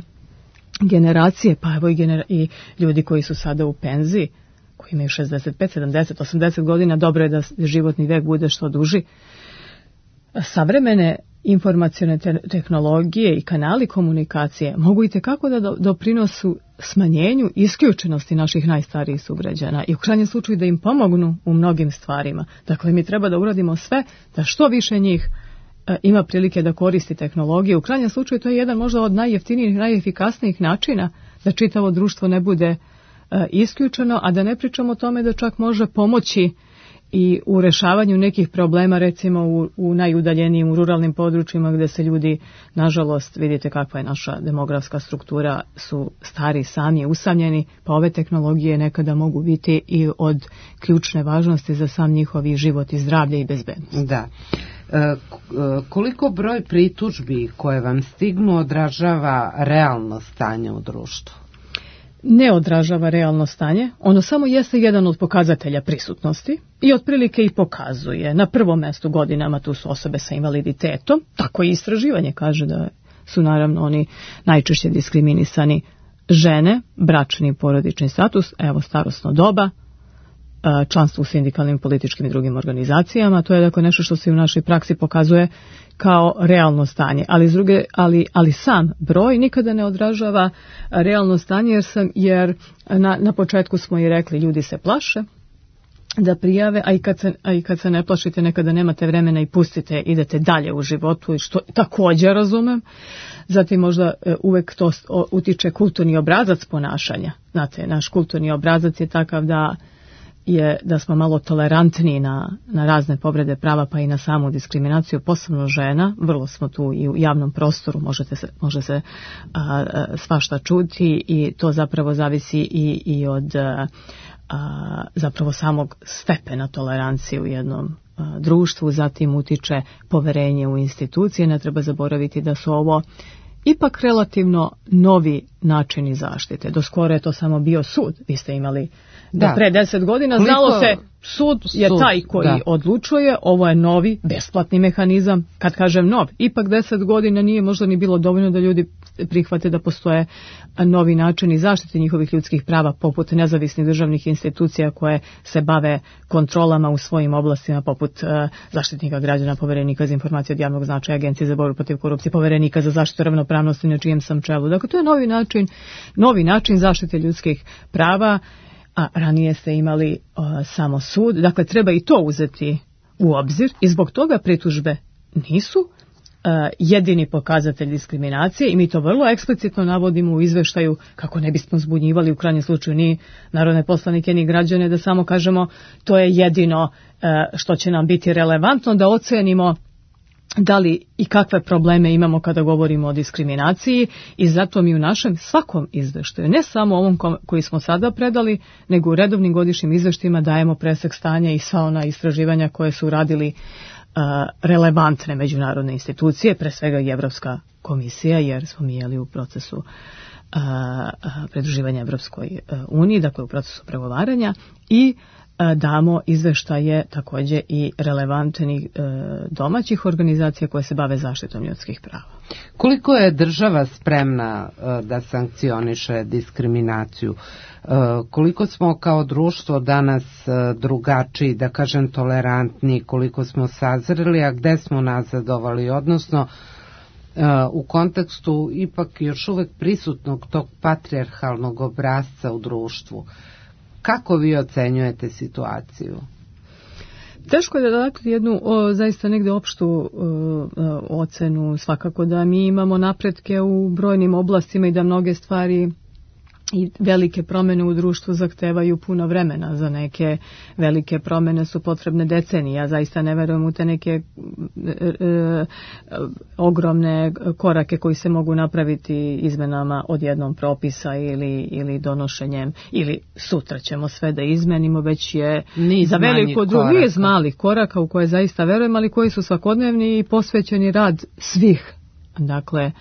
generacije, pa evo i ljudi koji su sada u penziji, koji imaju 65, 70, 80 godina, dobro je da životni vek bude što duži. Savremene informacione tehnologije i kanali komunikacije mogu itekako da doprinosu smanjenju isključenosti naših najstarijih sugrađana i u krajnjem slučaju da im pomognu u mnogim stvarima. Dakle, mi treba da uradimo sve da što više njih ima prilike da koristi tehnologije. U krajnjem slučaju to je jedan možda od najjeftinijih, najefikasnijih načina da čitavo društvo ne bude isključeno, a da ne pričamo o tome da čak može pomoći i u rešavanju nekih problema, recimo u najudaljenijim, u ruralnim područjima gde se ljudi, nažalost, vidite kakva je naša demografska struktura, su stari, sami, usamljeni, pa ove tehnologije nekada mogu biti i od ključne važnosti za sam njihovi život i zdravlje i bezbednost. Da. Koliko broj pritužbi koje vam stignu odražava realno stanje u društvu? Ne odražava realno stanje, ono samo jeste jedan od pokazatelja prisutnosti i otprilike i pokazuje. Na prvom mestu godinama tu su osobe sa invaliditetom, tako i istraživanje kaže da su naravno oni najčešće diskriminisani, žene, bračni i porodični status, evo starosno doba, članstvo u sindikalnim, političkim i drugim organizacijama. To je dakle nešto što se u našoj praksi pokazuje kao realno stanje, ali sam broj nikada ne odražava realno stanje, jer na početku smo i rekli, ljudi se plaše da prijave, a i kad se ne plašite nekada nemate vremena i pustite, idete dalje u životu, što također razumem. Zatim možda uvek to utiče kulturni obrazac ponašanja. Znate, naš kulturni obrazac je takav da smo malo tolerantniji na razne povrede prava, pa i na samu diskriminaciju, posebno žena. Vrlo smo tu i u javnom prostoru, može se svašta čuti i to zapravo zavisi i od zapravo samog stepena tolerancije u jednom društvu. Zatim utiče poverenje u institucije. Ne treba zaboraviti da su ovo ipak relativno novi načini zaštite. Do skoro je to samo bio sud. Vi ste imali da pre 10 godina znalo se sud je taj koji odlučuje, ovo je novi, besplatni mehanizam. Kad kažem nov, ipak 10 godina nije možda ni bilo dovoljno da ljudi prihvate da postoje novi načini zaštite njihovih ljudskih prava, poput nezavisnih državnih institucija koje se bave kontrolama u svojim oblastima, poput Zaštitnika građana, Poverenika za informacije od javnog značaja, Agencije za borbu protiv korupcije, Poverenika za zaštitu ravnopravnosti na čijem sam čelu. Dakle, to je novi način zaštite ljudskih prava, a ranije ste imali samo sud. Dakle, treba i to uzeti u obzir i zbog toga pritužbe nisu jedini pokazatelj diskriminacije i mi to vrlo eksplicitno navodimo u izveštaju kako ne bismo zbunjivali u krajnjem slučaju ni narodne poslanike ni građane, da samo kažemo to je jedino što će nam biti relevantno da ocenimo da li i kakve probleme imamo kada govorimo o diskriminaciji i zato mi u našem svakom izveštaju, ne samo ovom koji smo sada predali, nego u redovnim godišnjim izveštajima dajemo presek stanja i sva ona istraživanja koje su radili relevantne međunarodne institucije, pre svega i Evropska komisija, jer smo mi jeli u procesu pridruživanja Evropskoj uniji, dakle u procesu pregovaranja, i damo izveštaje također i relevantnih domaćih organizacija koje se bave zaštitom ljudskih prava. Koliko je država spremna da sankcioniše diskriminaciju? Koliko smo kao društvo danas drugačiji, da kažem tolerantni, koliko smo sazreli, a gde smo nazadovali, odnosno u kontekstu ipak još uvek prisutnog tog patrijarhalnog obrasca u društvu? Kako vi ocenjujete situaciju? Teško je da dati jednu zaista negde opštu ocenu, svakako da mi imamo napretke u brojnim oblastima i da mnoge stvari i velike promjene u društvu zahtevaju puno vremena. Za neke velike promjene su potrebne decenije. Ja zaista ne verujem u te neke ogromne korake koji se mogu napraviti izmenama od jednom propisa ili donošenjem, ili sutra ćemo sve da izmenimo, već je za veliko niz malih koraka u koje zaista verujem, ali koji su svakodnevni i posvećeni rad svih. Dakle,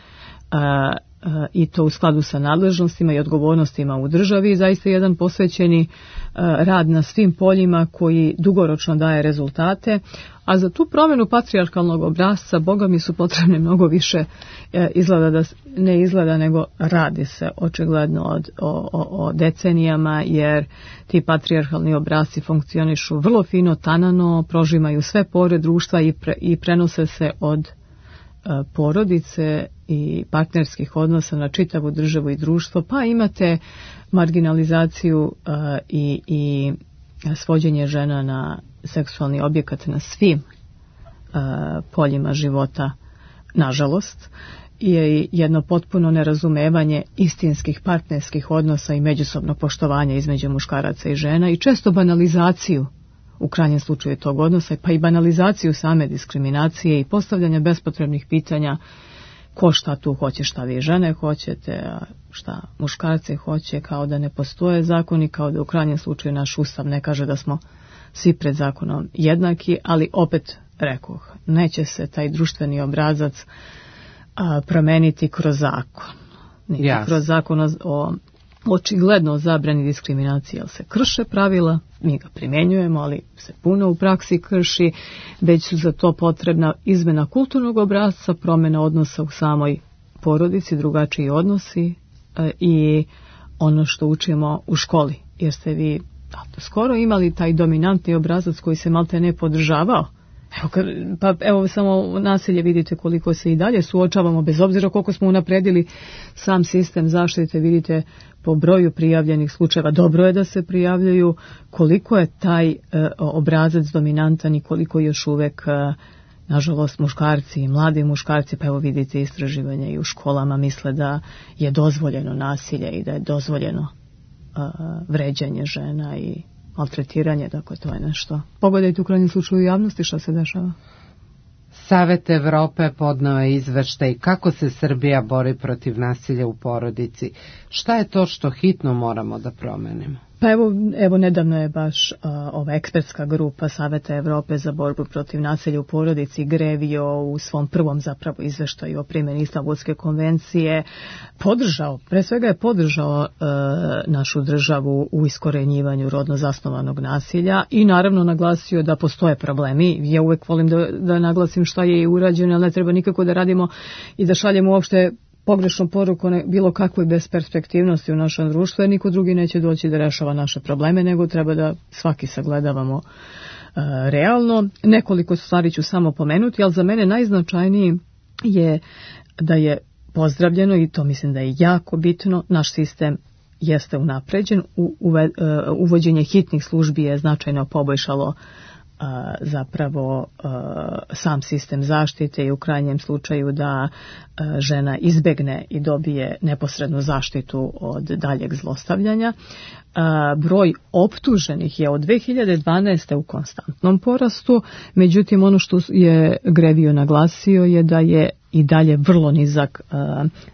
i to u skladu sa nadležnostima i odgovornostima u državi, zaista jedan posvećeni rad na svim poljima koji dugoročno daje rezultate, a za tu promjenu patrijarhalnog obrasca Boga mi su potrebne mnogo više, nego radi se očigledno o decenijama, jer ti patrijarhalni obrasci funkcionišu vrlo fino, tanano, prožimaju sve pore društva i prenose se od porodice i partnerskih odnosa na čitavu državu i društvo, pa imate marginalizaciju i svođenje žena na seksualni objekat na svim poljima života, nažalost, i jedno potpuno nerazumevanje istinskih partnerskih odnosa i međusobnog poštovanja između muškaraca i žena i često banalizaciju u krajnjem slučaju tog odnosa, pa i banalizaciju same diskriminacije i postavljanja bespotrebnih pitanja ko šta tu hoće, šta vi žene hoćete, a šta muškarci hoće, kao da ne postoje zakoni, kao da u krajnjem slučaju naš ustav ne kaže da smo svi pred zakonom jednaki, ali opet rekoh, neće se taj društveni obrazac promeniti kroz zakon. Niti kroz zakon o očigledno zabrani diskriminacije, jer se krše pravila, mi ga primjenjujemo, ali se puno u praksi krši, već su za to potrebna izmena kulturnog obrasca, promjena odnosa u samoj porodici, drugačiji odnosi i ono što učimo u školi, jer ste vi skoro imali taj dominantni obrazac koji se malte ne podržavao. Evo samo nasilje, vidite koliko se i dalje suočavamo, bez obzira koliko smo unapredili sam sistem zaštite, vidite po broju prijavljenih slučajeva, dobro je da se prijavljaju, koliko je taj obrazac dominantan i koliko još uvek, nažalost, muškarci i mladi muškarci, pa evo vidite istraživanja i u školama, misle da je dozvoljeno nasilje i da je dozvoljeno vređanje žena i maltretiranje, dakle to je nešto. Pogledajte u krajnjem slučaju u javnosti šta se dešava. Savet Evrope podneo je izveštaj kako se Srbija bori protiv nasilja u porodici. Šta je to što hitno moramo da promenimo? Pa evo nedavno je baš ova ekspertska grupa Saveta Evrope za borbu protiv nasilja u porodici GREVIO u svom prvom zapravo izveštaju o primjeni Istanbulske konvencije pre svega je podržao našu državu u iskorenjivanju rodno zasnovanog nasilja i naravno naglasio da postoje problemi. Ja uvek volim da naglasim šta je i urađeno, ali ne treba nikako da radimo i da šaljemo uopšte pogrešnu poruku bilo kakvoj besperspektivnosti u našem društvu, jer niko drugi neće doći da rešava naše probleme, nego treba da svaki sagledavamo realno. Nekoliko stvari ću samo pomenuti, ali za mene najznačajniji je da je pozdravljeno, i to mislim da je jako bitno, naš sistem jeste unapređen, uvođenje hitnih službi je značajno poboljšalo zapravo sam sistem zaštite i u krajnjem slučaju da žena izbegne i dobije neposrednu zaštitu od daljeg zlostavljanja. Broj optuženih je od 2012. u konstantnom porastu, međutim ono što je GREVIO naglasio je da je i dalje vrlo nizak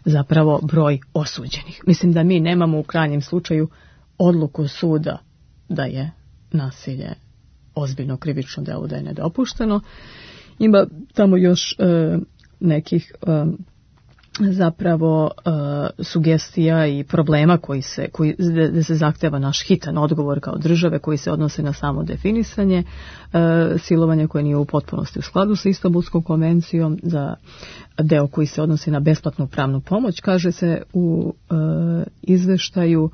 zapravo broj osuđenih. Mislim da mi nemamo u krajnjem slučaju odluku suda da je nasilje ozbiljno krivično delo, da je nedopušteno. Ima tamo još nekih zapravo sugestija i problema da se zahteva naš hitan odgovor kao države koji se odnose na samo definisanje silovanja koje nije u potpunosti u skladu sa Istanbulskom konvencijom. Za deo koji se odnosi na besplatnu pravnu pomoć kaže se u izveštaju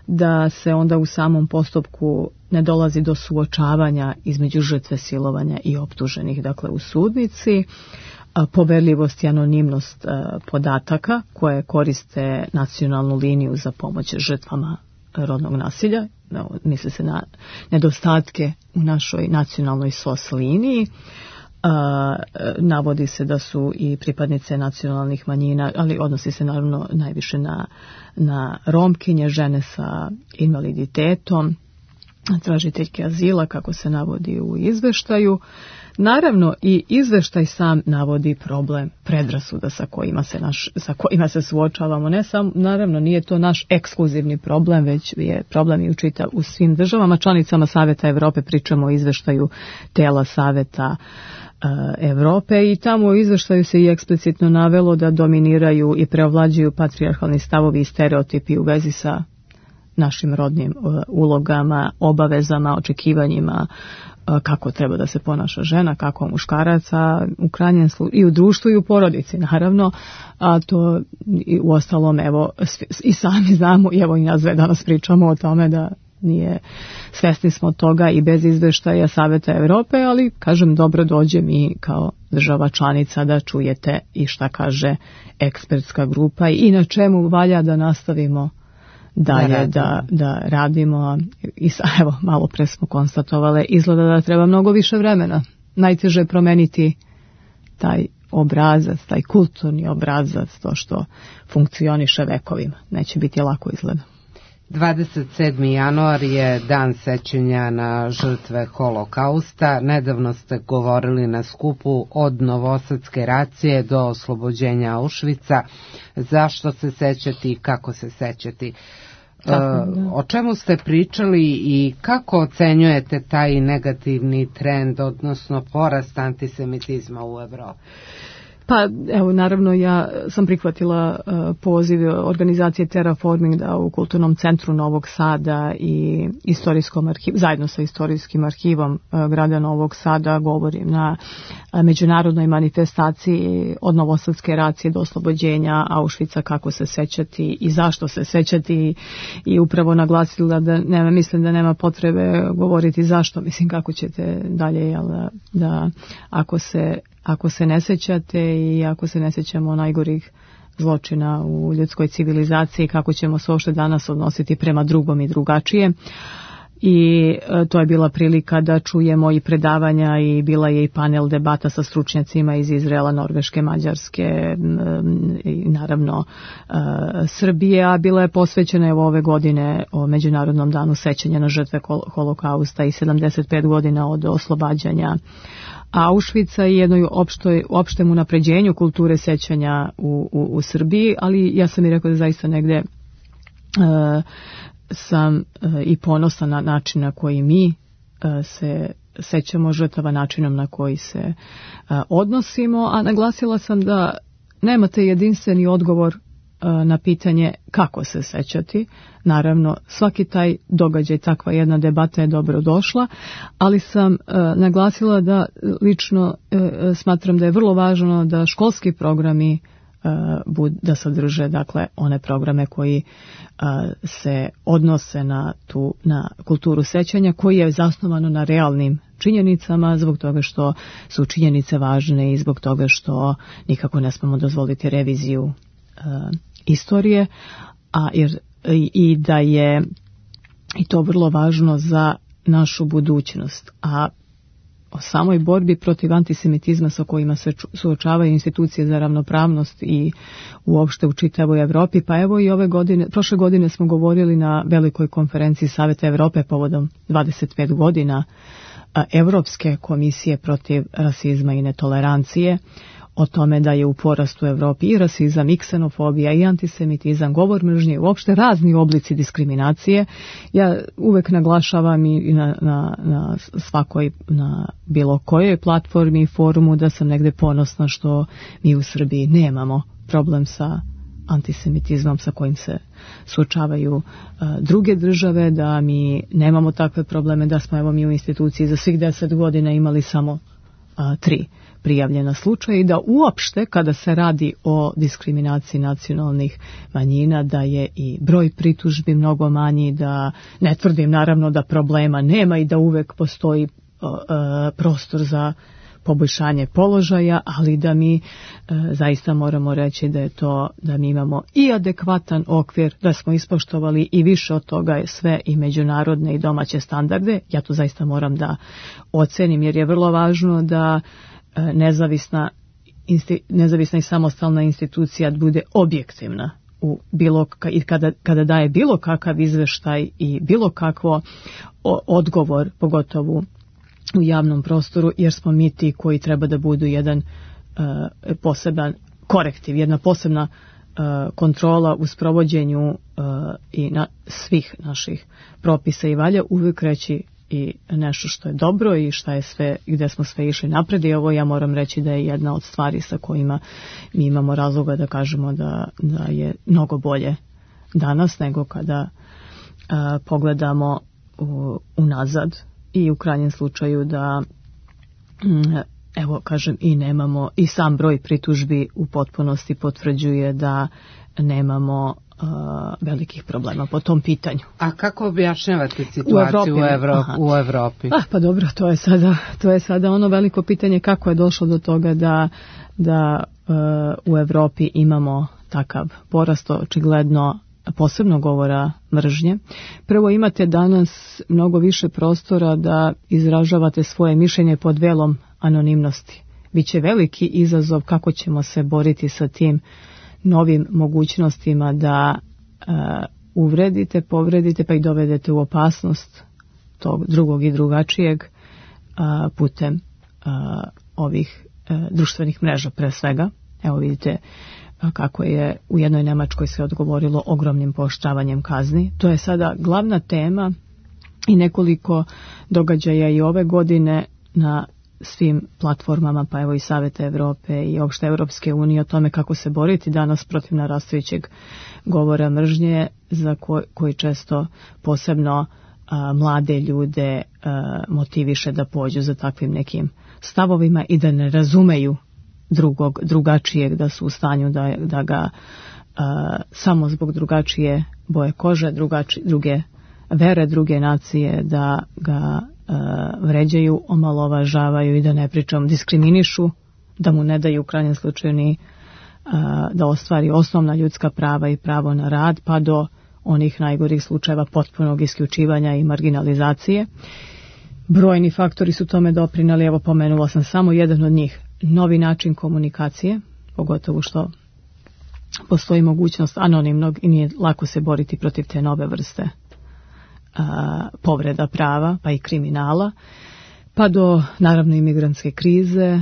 da se onda u samom postupku ne dolazi do suočavanja između žrtve silovanja i optuženih, dakle u sudnici. Poverljivost i anonimnost podataka koje koriste nacionalnu liniju za pomoć žrtvama rodnog nasilja. Misli se na nedostatke u našoj nacionalnoj SOS liniji. Navodi se da su i pripadnice nacionalnih manjina, ali odnosi se naravno najviše na Romkinje, žene sa invaliditetom, tražiteljke azila, kako se navodi u izveštaju. Naravno, i izveštaj sam navodi problem predrasuda sa kojima se suočavamo. Ne samo, naravno, nije to naš ekskluzivni problem, već je problem i u svim državama članicama Saveta Evrope. Pričamo o izveštaju tela Saveta Evrope i tamo u izveštaju se i eksplicitno navelo da dominiraju i preovlađuju patrijarhalni stavovi i stereotipi u vezi sa našim rodnim ulogama, obavezama, očekivanjima, kako treba da se ponaša žena, kako muškaraca, u krajnjem slučaju i u društvu i u porodici, naravno, a to u ostalom, evo, i sami znamo, i evo i nas danas pričamo o tome da nije, svesni smo toga i bez izveštaja Saveta Evrope, ali, kažem, dobro dođe mi kao država članica da čujete i šta kaže ekspertska grupa i na čemu valja da nastavimo dalje da radimo. I evo, malo pre smo konstatovali, izgleda da treba mnogo više vremena. Najteže je promeniti taj obrazac, taj kulturni obrazac, to što funkcioniše vekovima. Neće biti lako, izgleda. 27. januar je dan sećanja na žrtve Holokausta. Nedavno ste govorili na skupu od Novosadske racije do oslobođenja Auschwitza. Zašto se sećati i kako se sećati? O čemu ste pričali i kako ocenjujete taj negativni trend, odnosno porast antisemitizma u Evropi? Pa evo, naravno, ja sam prihvatila poziv organizacije Terraforming da u Kulturnom centru Novog Sada i istorijskom arhivu, zajedno sa istorijskim arhivom grada Novog Sada, govorim na međunarodnoj manifestaciji od Novosadske racije do oslobođenja Auschwitza, kako se sećati i zašto se sećati, i upravo naglasila da mislim da nema potrebe govoriti zašto, mislim kako ćete dalje, da ako se ne sećate i ako se ne sećamo najgorih zločina u ljudskoj civilizaciji, kako ćemo se uopšte danas odnositi prema drugom i drugačije. I to je bila prilika da čujemo i predavanja i bila je i panel debata sa stručnjacima iz Izraela, Norveške, Mađarske i naravno Srbije, a bila je posvećena evo ove godine o Međunarodnom danu sećanja na žrtve Holokausta i 75 godina od oslobađanja Auschwitza i jednoj opštem unapređenju kulture sećanja u Srbiji, ali ja sam i rekao da zaista negde sam i ponosan na način na koji mi se sećamo žrtava, načinom na koji se odnosimo, a naglasila sam da nemate jedinstveni odgovor na pitanje kako se sećati. Naravno, svaki taj događaj, takva jedna debata je dobro došla, ali sam naglasila da lično smatram da je vrlo važno da školski programi da sadrže, dakle, one programe koji se odnose na kulturu sećanja, koji je zasnovano na realnim činjenicama, zbog toga što su činjenice važne i zbog toga što nikako ne smemo dozvoliti reviziju istorije, i da je i to vrlo važno za našu budućnost. A o samoj borbi protiv antisemitizma sa kojima se suočavaju institucije za ravnopravnost i uopšte u čitavoj Evropi, pa evo i prošle godine smo govorili na velikoj konferenciji Saveta Evrope povodom 25 godina Evropske komisije protiv rasizma i netolerancije, o tome da je u porastu u Evropi i rasizam, i ksenofobija, i antisemitizam, govor mržnje, uopšte razni oblici diskriminacije. Ja uvek naglašavam i na svakoj, na bilo kojoj platformi i forumu da sam negde ponosna što mi u Srbiji nemamo problem sa antisemitizmom sa kojim se suočavaju druge države, da mi nemamo takve probleme, da smo evo mi u instituciji za svih 10 godina imali samo 3 prijavljena slučaja i da uopšte kada se radi o diskriminaciji nacionalnih manjina da je i broj pritužbi mnogo manji, da ne tvrdim naravno da problema nema i da uvek postoji prostor za poboljšanje položaja, ali da mi zaista moramo reći da je to, da mi imamo i adekvatan okvir, da smo ispoštovali i više od toga je sve i međunarodne i domaće standarde. Ja to zaista moram da ocenim, jer je vrlo važno da nezavisna i samostalna institucija bude objektivna u i kada daje bilo kakav izveštaj i bilo kakvo odgovor, pogotovo u javnom prostoru, jer smo mi ti koji treba da budu jedan poseban korektiv, jedna posebna kontrola u sprovođenju i svih naših propisa i valja uvijek reći i nešto što je dobro i šta je sve, gde smo sve išli napred, i ovo ja moram reći da je jedna od stvari sa kojima mi imamo razloga da kažemo da je mnogo bolje danas nego kada pogledamo unazad, i u krajnjem slučaju da evo kažem i nemamo, i sam broj pritužbi u potpunosti potvrđuje da nemamo velikih problema po tom pitanju. A kako objašnjavate situaciju u Evropi? Pa dobro, to je sada ono veliko pitanje kako je došlo do toga da u Evropi imamo takav porast, očigledno posebno govora mržnje. Prvo, imate danas mnogo više prostora da izražavate svoje mišljenje pod velom anonimnosti. Biće veliki izazov kako ćemo se boriti sa tim novim mogućnostima da uvredite, povredite pa i dovedete u opasnost tog drugog i drugačijeg putem ovih društvenih mreža pre svega. Evo vidite kako je u jednoj Nemačkoj se odgovorilo ogromnim pooštravanjem kazni. To je sada glavna tema i nekoliko događaja i ove godine na svim platformama, pa evo i Saveta Evrope i opšte Evropske unije o tome kako se boriti danas protiv narastajućeg govora mržnje, za koji često posebno mlade ljude motiviše da pođu za takvim nekim stavovima i da ne razumeju drugačijeg, da su u stanju da ga samo zbog drugačije boje kože, druge vere, druge nacije, da ga vređaju, omalovažavaju i da ne pričam diskriminišu, da mu ne daju u krajnjem slučaju ni da ostvari osnovna ljudska prava i pravo na rad, pa do onih najgorih slučajeva potpunog isključivanja i marginalizacije. Brojni faktori su tome doprinali, evo pomenula sam samo jedan od njih, novi način komunikacije, pogotovo što postoji mogućnost anonimnog i nije lako se boriti protiv te nove vrste povreda prava, pa i kriminala, pa do naravno imigrantske krize,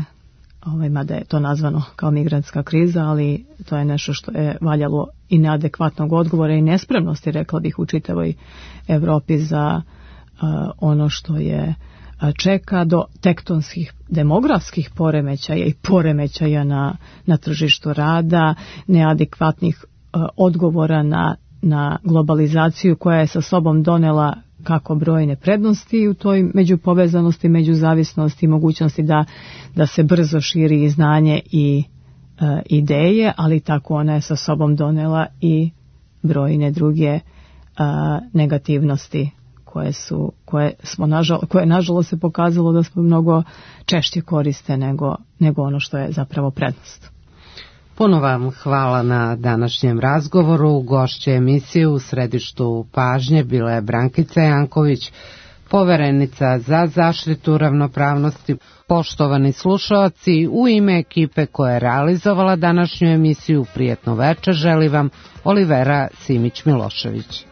mada je to nazvano kao migrantska kriza, ali to je nešto što je valjalo i neadekvatnog odgovora i nespremnosti, rekla bih, u čitavoj Evropi za ono što je čeka, do tektonskih demografskih poremećaja i poremećaja na tržištu rada, neadekvatnih odgovora na globalizaciju koja je sa sobom donela kako brojne prednosti u toj međupovezanosti, međuzavisnosti i mogućnosti da se brzo širi znanje i ideje, ali tako ona je sa sobom donela i brojne druge negativnosti koje nažalost se pokazalo da smo mnogo češće koriste nego ono što je zapravo prednost. Puno vam hvala na današnjem razgovoru. Gošće emisije u središtu pažnje bila je Brankica Janković, poverenica za zaštitu ravnopravnosti. Poštovani slušaoci, u ime ekipe koja je realizovala današnju emisiju, prijetno večer želi vam Olivera Simić-Milošević.